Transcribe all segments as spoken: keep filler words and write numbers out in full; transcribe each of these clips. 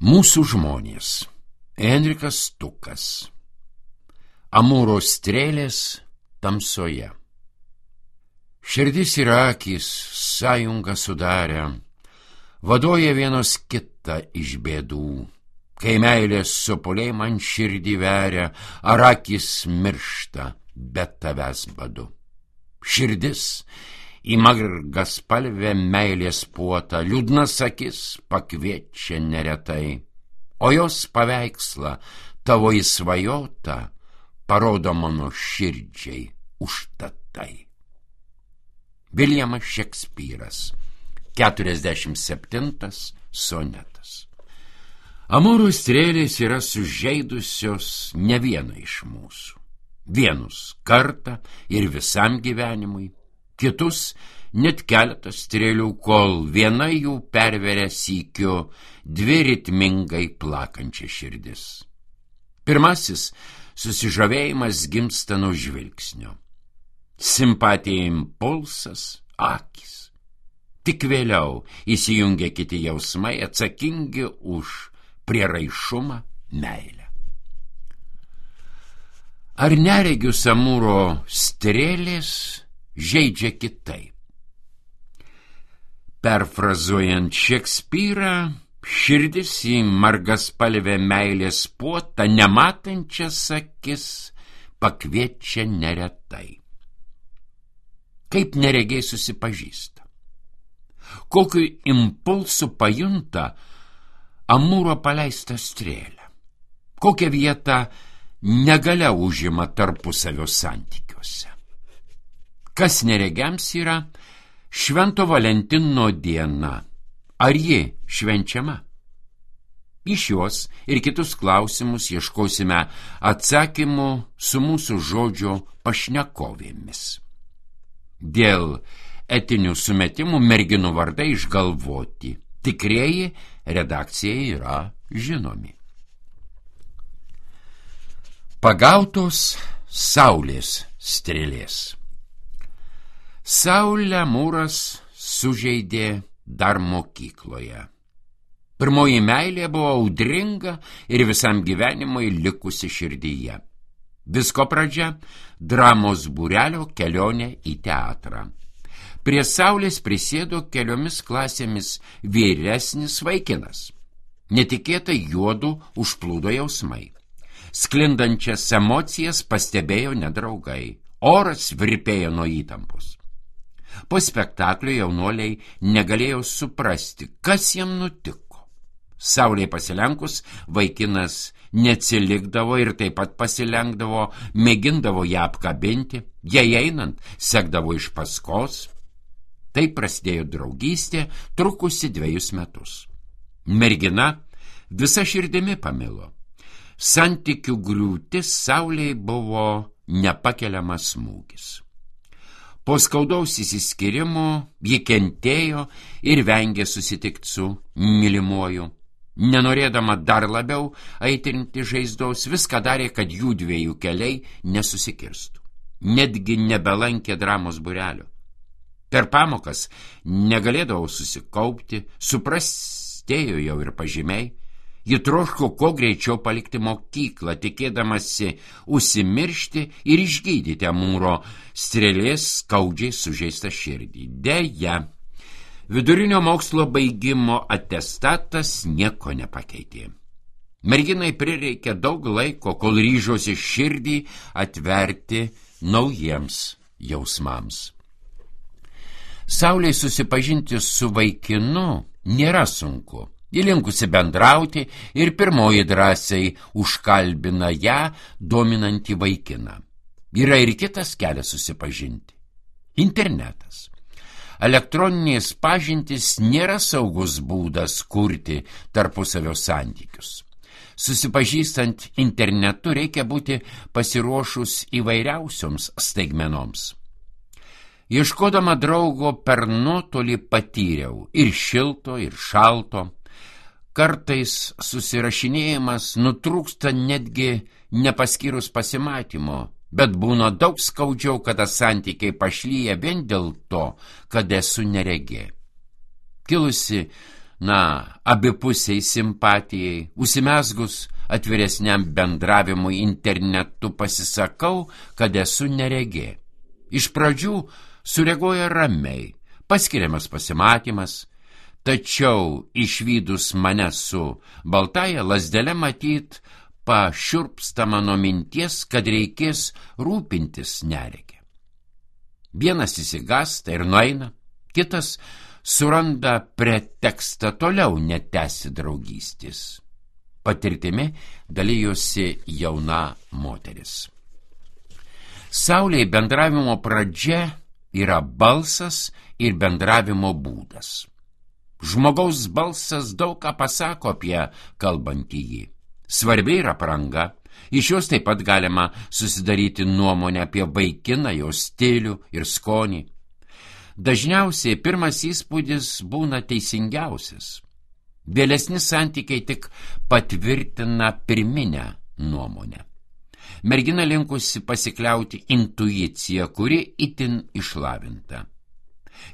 Mūsų žmonės. Enrikas Stukas. Amūro strėlės tamsoje. Širdis ir akys sąjungą sudarę, vaduoja vienos kitą iš bėdų. Kai meilės sopuliai man širdį veria, ar akys miršta, bet tavęs badu. Širdis į margaspalvę meilės puotą, liūdnas akis pakviečia neretai, o jos paveikslą tavo įsvajotą parodo mano širdžiai užtatai. Viljamas Šekspyras, keturiasdešimt septintas sonetas. Amūro strėlės yra sužeidusios ne vieną iš mūsų. Vienus kartą ir visam gyvenimui, kitus net keletą strėlių, kol viena jų perveria sykiu dvi ritmingai plakančią širdis. Pirmasis susižavėjimas gimsta nuo žvilgsnio. Simpatija impulsas akys. Tik vėliau įsijungia kiti jausmai atsakingi už prieraišumą, meilę. Ar neregius Amūro strėlės žeidžia kitaip? Perfrazuojant Šekspyrą, širdis į margaspalvę meilės puotą nematančias akis pakviečia neretai. Kaip neregiai susipažįsta? Kokiu impulsu pajunta Amūro paleistą strėlę? Kokią vietą negalia užima tarpusavio santykiuose? Kas neregiams yra Švento Valentino diena? Ar ji švenčiama? Į šiuos ir kitus klausimus ieškosime atsakymų su mūsų žodžio pašnekovėmis. Dėl etinių sumetimų merginų vardai išgalvoti, tikrieji redakcijai yra žinomi. Pagautos saulės strėlės. Saulę Amūras sužeidė dar mokykloje. Pirmoji meilė buvo audringa ir visam gyvenimui likusi širdyje. Visko pradžia – dramos būrelio kelionė į teatrą. Prie saulės prisėdo keliomis klasėmis vyresnis vaikinas. Netikėtai juodu užplūdo jausmai. Sklindančias emocijas pastebėjo nedraugai. Oras virpėjo nuo įtampos. Po spektaklio jaunuoliai negalėjo suprasti, kas jam nutiko. Saulei pasilenkus, vaikinas neatsilikdavo ir taip pat pasilenkdavo, mėgindavo ją apkabinti, jai einant sekdavo iš paskos. Taip prasidėjo draugystė, trukusi dvejus metus. Mergina visa širdimi pamilo. Santykių griūtis Saulei buvo nepakeliamas smūgis. Po skaudaus įsiskyrimo ji kentėjo ir vengė susitikti su mylimuoju. Nenorėdama dar labiau aitrinti žaizdos, viską darė, kad jų dviejų keliai nesusikirstų. Netgi nebelankė dramos būrelio. Per pamokas negalėdavo susikaupti, suprastėjo jau ir pažymiai. Ji troško kuo greičiau palikti mokyklą, tikėdamasi užsimiršti ir išgydyti Amūro strėlės skaudžiai sužeistą širdį. Deja, vidurinio mokslo baigimo atestatas nieko nepakeitė. Merginai prireikė daug laiko, kol ryžosi širdį atverti naujiems jausmams. Saulei susipažinti su vaikinu nėra sunku. Ji linkusi bendrauti ir pirmoji drąsiai užkalbina ją dominantį vaikiną. Yra ir kitas kelias susipažinti – internetas. Elektroninės pažintys nėra saugus būdas kurti tarpusavio santykius. Susipažįstant internetu reikia būti pasiruošus įvairiausioms staigmenoms. Ieškodama draugo per nuotolį patyriau ir šilto, ir šalto. Kartais susirašinėjimas nutrūksta netgi nepaskyrus pasimatymo, bet būna daug skaudžiau, kada santykiai pašlyja vien dėl to, kad esu neregė. Kilusi na, abipusiai simpatijai, užsimezgus atviresniam bendravimui internetu pasisakau, kad esu neregė. Iš pradžių sureaguoja ramiai, paskiriamas pasimatymas, tačiau išvydus mane su baltaja lazdele matyt, pašiurpsta mano minties, kad reikės rūpintis neregė. Vienas įsigąsta ir nueina, kitas suranda pretekstą toliau netęsti draugystės. Patirtimi dalijosi jauna moteris. Saulei bendravimo pradžia yra balsas ir bendravimo būdas. Žmogaus balsas daug ką pasako apie kalbantįjį. Svarbi yra apranga, iš jos taip pat galima susidaryti nuomonę apie vaikiną, jo stilių ir skonį. Dažniausiai pirmas įspūdis būna teisingiausias. Vėlesni santykiai tik patvirtina pirminę nuomonę. Mergina linkusi pasikliauti intuiciją, kuri itin išlavinta.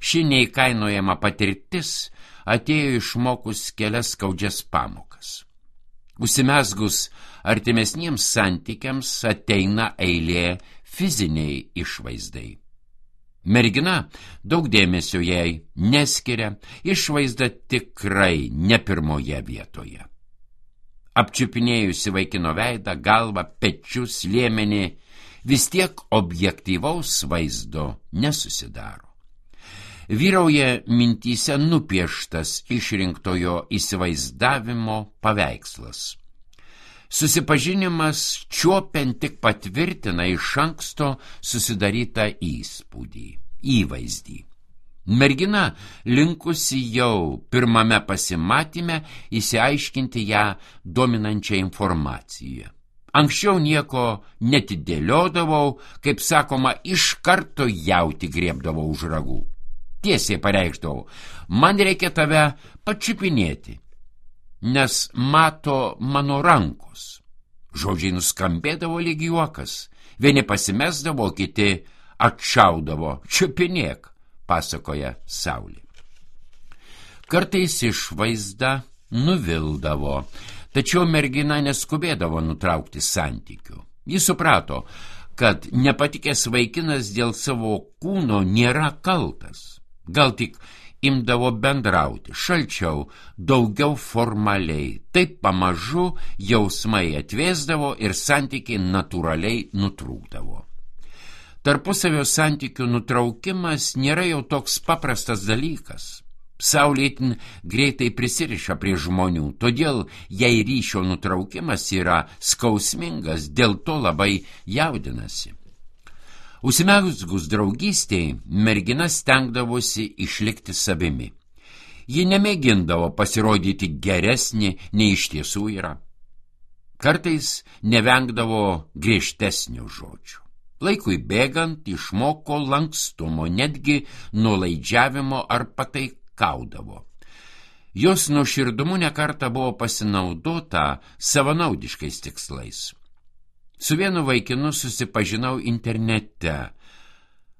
Ši neįkainojama patirtis atėjo išmokus kelias skaudžias pamokas. Užsimezgus artimesniems santykiams ateina eilė fiziniai išvaizdai. Mergina daug dėmesio jai neskiria, išvaizda tikrai ne pirmoje vietoje. Apčiupinėjusi vaikino veidą, galvą, pečius, liemenį, vis tiek objektyvaus vaizdo nesusidaro. Vyrauja mintyse nupieštas išrinktojo įsivaizdavimo paveikslas. Susipažinimas čiuopiant tik patvirtina iš anksto susidarytą įspūdį, įvaizdį. Mergina linkusi jau pirmame pasimatyme įsiaiškinti ją dominančią informaciją. Anksčiau nieko netidėliodavau, kaip sakoma, iš karto jauti griebdavau už ragų. Tiesiai pareikšdavau, man reikia tave pačiupinėti, nes mato mano rankos. Žodžiai nuskambėdavo lyg juokas, vieni pasimesdavo, kiti atšaudavo, čiupinėk, pasakoja Saulė. Kartais išvaizda nuvildavo, tačiau mergina neskubėdavo nutraukti santykių. Ji suprato, kad nepatikęs vaikinas dėl savo kūno nėra kaltas, gal tik imdavo bendrauti, šalčiau, daugiau formaliai. Taip pamažu jausmai atvėsdavo ir santykiai natūraliai nutrūkdavo. Tarpusavio santykių nutraukimas nėra jau toks paprastas dalykas. Saulė itin greitai prisiriša prie žmonių, todėl jei ryšio nutraukimas yra skausmingas, dėl to labai jaudinasi. Užsimezgus draugystėj, mergina stengdavosi išlikti savimi. Ji nemėgindavo pasirodyti geresnį, nei iš tiesų yra. Kartais nevengdavo griežtesnių žodžių. Laikui bėgant išmoko lankstumo, netgi nuolaidžiavimo ar pataikaudavo. Jos nuoširdumu nekartą buvo pasinaudota savanaudiškais tikslais. Su vienu vaikinu susipažinau internete.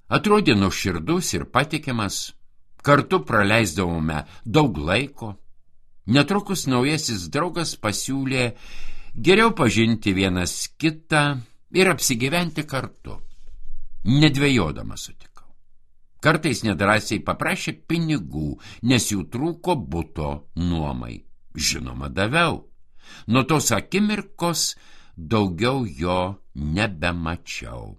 Atrodė nuoširdus ir patikimas. Kartu praleisdavome daug laiko. Netrukus naujasis draugas pasiūlė geriau pažinti vienas kitą ir apsigyventi kartu. Nedvejodamas sutikau. Kartais nedrąsiai paprašė pinigų, nes jų trūko buto nuomai. Žinoma, daviau. Nuo tos akimirkos daugiau jo nebemačiau.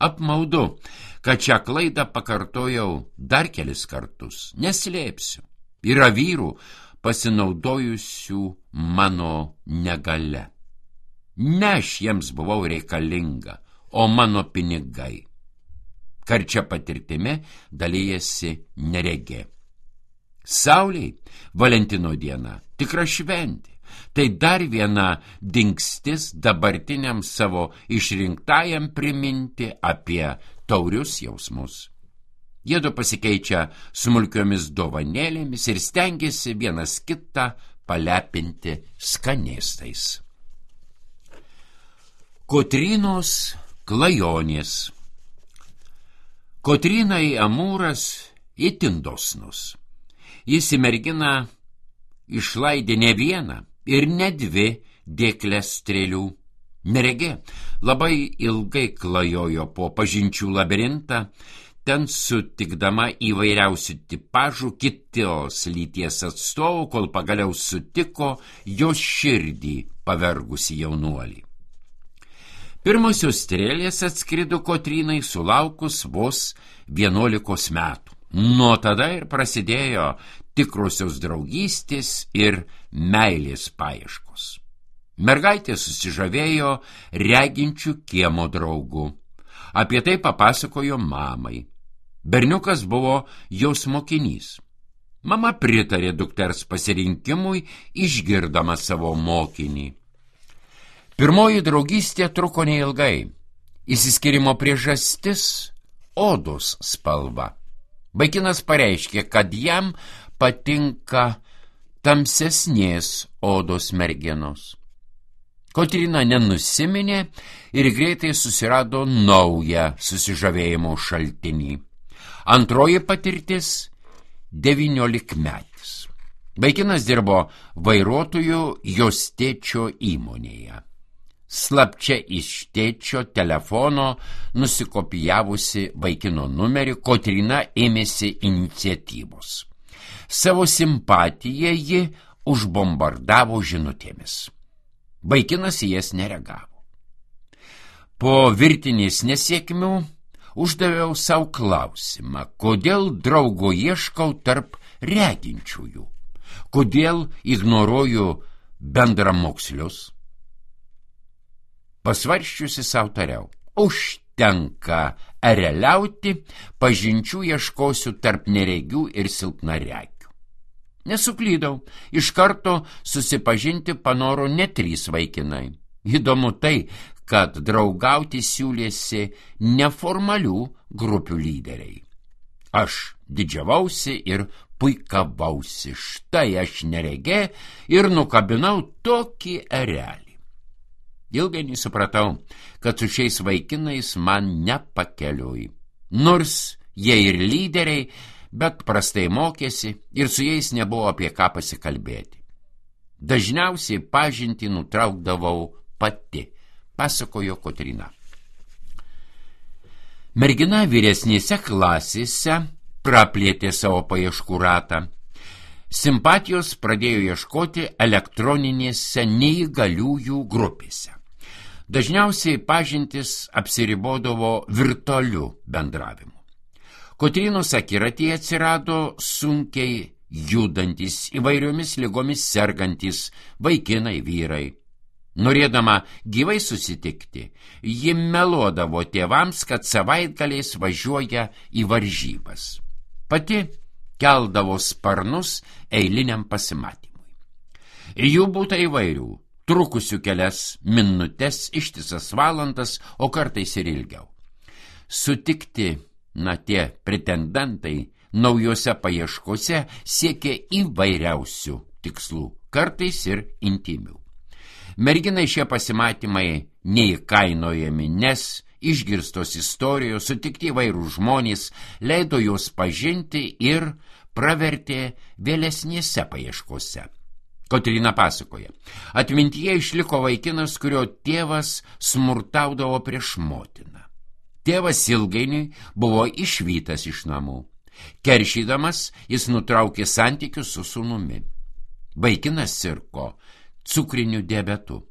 Apmaudu, kad šią klaidą pakartojau dar kelis kartus. Neslėpsiu. Yra vyrų pasinaudojusių mano negale. Ne aš jiems buvau reikalinga, o mano pinigai. Karčia patirtimi dalyjasi neregė. Saulei Valentino diena tikra šventė. Tai dar viena dingstis dabartiniam savo išrinktajam priminti apie taurius jausmus. Jiedu pasikeičia smulkiomis dovanėlėmis ir stengiasi vienas kitą palepinti skanėstais. Kotrynos klajonės. Kotrynai Amūras itin dosnus. Jis į merginą išlaidė ne vieną ir ne dvi dėkles strėlių. Neregė labai ilgai klajojo po pažinčių labirintą, ten sutikdama įvairiausių tipažų kitos lyties atstovų, kol pagaliau sutiko jos širdį pavergusi jaunuolį. Pirmosios strėlės atskrido Kotrynai sulaukus vos vienuolikos metų. Nuo tada ir prasidėjo tikrosios draugystės ir meilės paieškos. Mergaitė susižavėjo reginčių kiemo draugu. Apie tai papasakojo mamai. Berniukas buvo jos mokinys. Mama pritarė dukters pasirinkimui, išgirdama savo mokinį. Pirmoji draugystė truko neilgai. Išsiskyrimo priežastis – odos spalva. Vaikinas pareiškė, kad jam patinka tamsesnės odos merginos. Kotryna nenusiminė ir greitai susirado naują susižavėjimo šaltinį. Antroji patirtis – devyniolikmetis. Vaikinas dirbo vairuotoju jos tėčio įmonėje. Slapčia iš tėčio telefono nusikopijavusi vaikino numerį, Kotryna ėmėsi iniciatyvos. Savo simpatiją ji užbombardavo žinutėmis. Vaikinas į jas nereagavo. Po virtinės nesėkmių uždaviau savo klausimą, kodėl draugo ieškau tarp reginčiųjų, kodėl ignoruoju bendramokslius. Pasvarščiusi savo tariau, užtenka ereliauti, pažinčių ieškosiu tarp neregių ir silpnaregių. Nesuklydau, iš karto susipažinti panoro ne trys vaikinai. Įdomu tai, kad draugauti siūlėsi neformalių grupių lyderiai. Aš didžiavausi ir puikavausi, štai aš neregė ir nukabinau tokį erelį. Ilgainiui supratau, kad su šiais vaikinais man nepakeliui. Nors jie ir lyderiai, bet prastai mokėsi ir su jais nebuvo apie ką pasikalbėti. Dažniausiai pažintį nutraukdavau pati, pasakojo Kotryna. Mergina vyresnėse klasėse praplėtė savo paieškų ratą. Simpatijos pradėjo ieškoti elektroninėse neįgaliųjų grupėse. Dažniausiai pažintis apsiribodavo virtualiu bendravimu. Kotrynos akiratyje atsirado sunkiai judantis, įvairiomis ligomis sergantis vaikinai vyrai. Norėdama gyvai susitikti, ji meluodavo tėvams, kad savaitgaliais važiuoja į varžybas. Pati keldavo sparnus eiliniam pasimatymui. Jų būta įvairių, trukusių kelias minutes, ištisas valandas, o kartais ir ilgiau. Sutikti, na tie pretendentai, naujose paieškose siekė įvairiausių tikslų, kartais ir intymių. Merginai šie pasimatymai neįkainojami, nes išgirstos istorijos, sutikti įvairūs žmonės leido juos pažinti ir pravertė vėlesnėse paieškose. Kotryna pasakoja, atmintyje išliko vaikinas, kurio tėvas smurtaudavo prieš motiną. Tėvas ilgainiui buvo išvytas iš namų. Keršydamas, jis nutraukė santykius su sūnumi. Vaikinas sirgo cukriniu diabetu.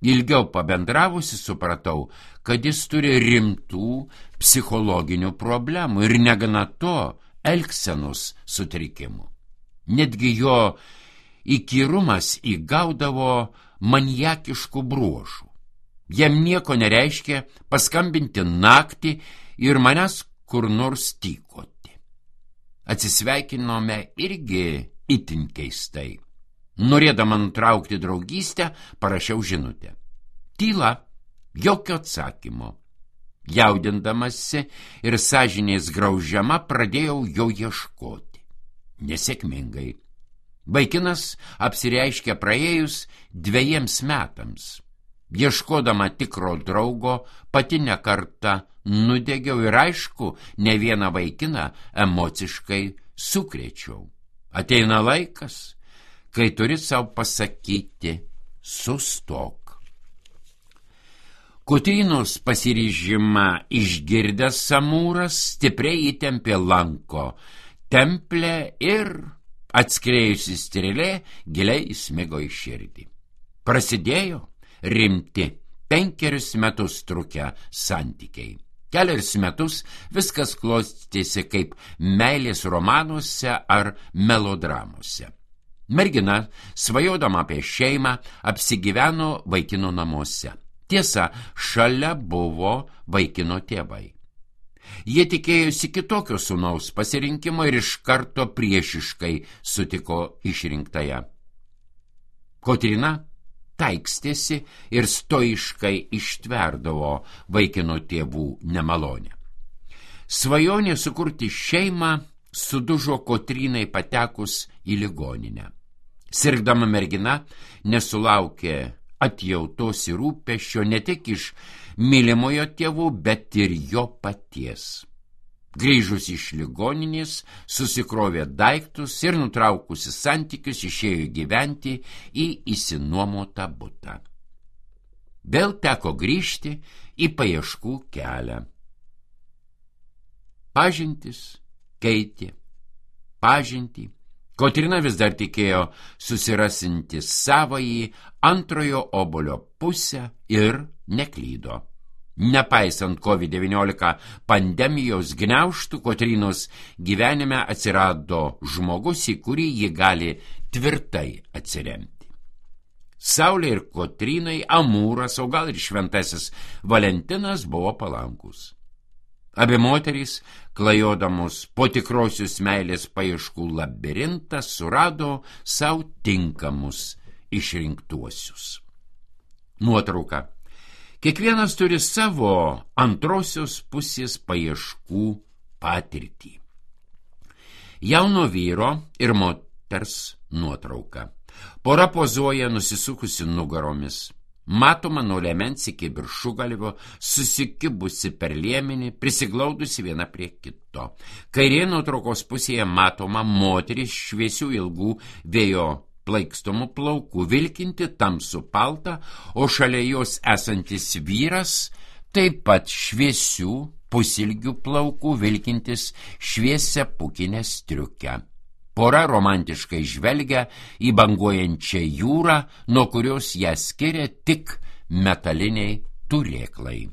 Ilgiau pabendravusi supratau, kad jis turi rimtų psichologinių problemų ir negana to elgsenos sutrikimų. Netgi jo įkyrumas įgaudavo maniakiškų bruožų. Jam nieko nereiškia paskambinti naktį ir manęs kur nors tykoti. Atsisveikinome irgi itin keistai. Norėdama nutraukti draugystę, parašiau žinutę. Tyla, jokio atsakymo. Jaudindamasi ir sąžinės graužiama pradėjau jo ieškoti. Nesėkmingai. Vaikinas apsireiškė praėjus dvejiems metams. Ieškodama tikro draugo, pati ne kartą nudegiau ir aišku, ne vieną vaikiną emociškai sukrėčiau. Ateina laikas, kai turi savo pasakyti sustok. Kotrynos pasiryžimą išgirdęs Amūras stipriai įtempė lanko templę ir atskriejusi strėlė giliai įsmigo į širdį. Prasidėjo rimti penkerius metus trukę santykiai. Keliarius metus viskas klostėsi kaip meilės romanuose ar melodramuose. Mergina, svajodama apie šeimą, apsigyveno vaikino namuose. Tiesa, šalia buvo vaikino tėvai. Jie tikėjosi kitokio sūnaus pasirinkimo ir iš karto priešiškai sutiko išrinktąją. Kotryna taikstėsi ir stoiškai ištverdavo vaikino tėvų nemalonę. Svajonė sukurti šeimą sudužo Kotrynai patekus į ligoninę. Sirgdama mergina nesulaukė atjautos ir rūpesčio ne tik iš mylimojo tėvų, bet ir jo paties. Grįžus iš ligoninės, susikrovė daiktus ir nutraukusi santykius išėjo gyventi į išsinuomotą butą. Vėl teko grįžti į paieškų kelią. Pažintis keitė pažintį. Kotryna vis dar tikėjo susirasinti savąjį antrojo obuolio pusę ir neklydo. Nepaisant COVID devyniolika pandemijos gniaužtų, Kotrynos gyvenime atsirado žmogus, į kurį ji gali tvirtai atsiremti. Saulė ir Kotrynai, Amūras, o gal ir šventasis Valentinas buvo palankus. Abi moterys, klajodamos po tikrosios meilės paieškų labirintą, surado savo tinkamus išrinktuosius. Nuotrauka. Kiekvienas turi savo antrosios pusės paieškų patirtį. Jauno vyro ir moters nuotrauka. Pora pozuoja nusisukusi nugaromis. Matoma nuo liemens iki viršugalvio, susikibusi per liemenį, prisiglaudusi viena prie kito. Kairėje nuotraukos pusėje matoma moteris šviesių ilgų vėjo plaikstomų plaukų, vilkinti tamsų paltą, o šalia jos esantis vyras taip pat šviesių pusilgių plaukų, vilkintis šviesią pukinę striukę. Pora romantiškai žvelgia į banguojančią jūrą, nuo kurios ją skiria tik metaliniai turėklai.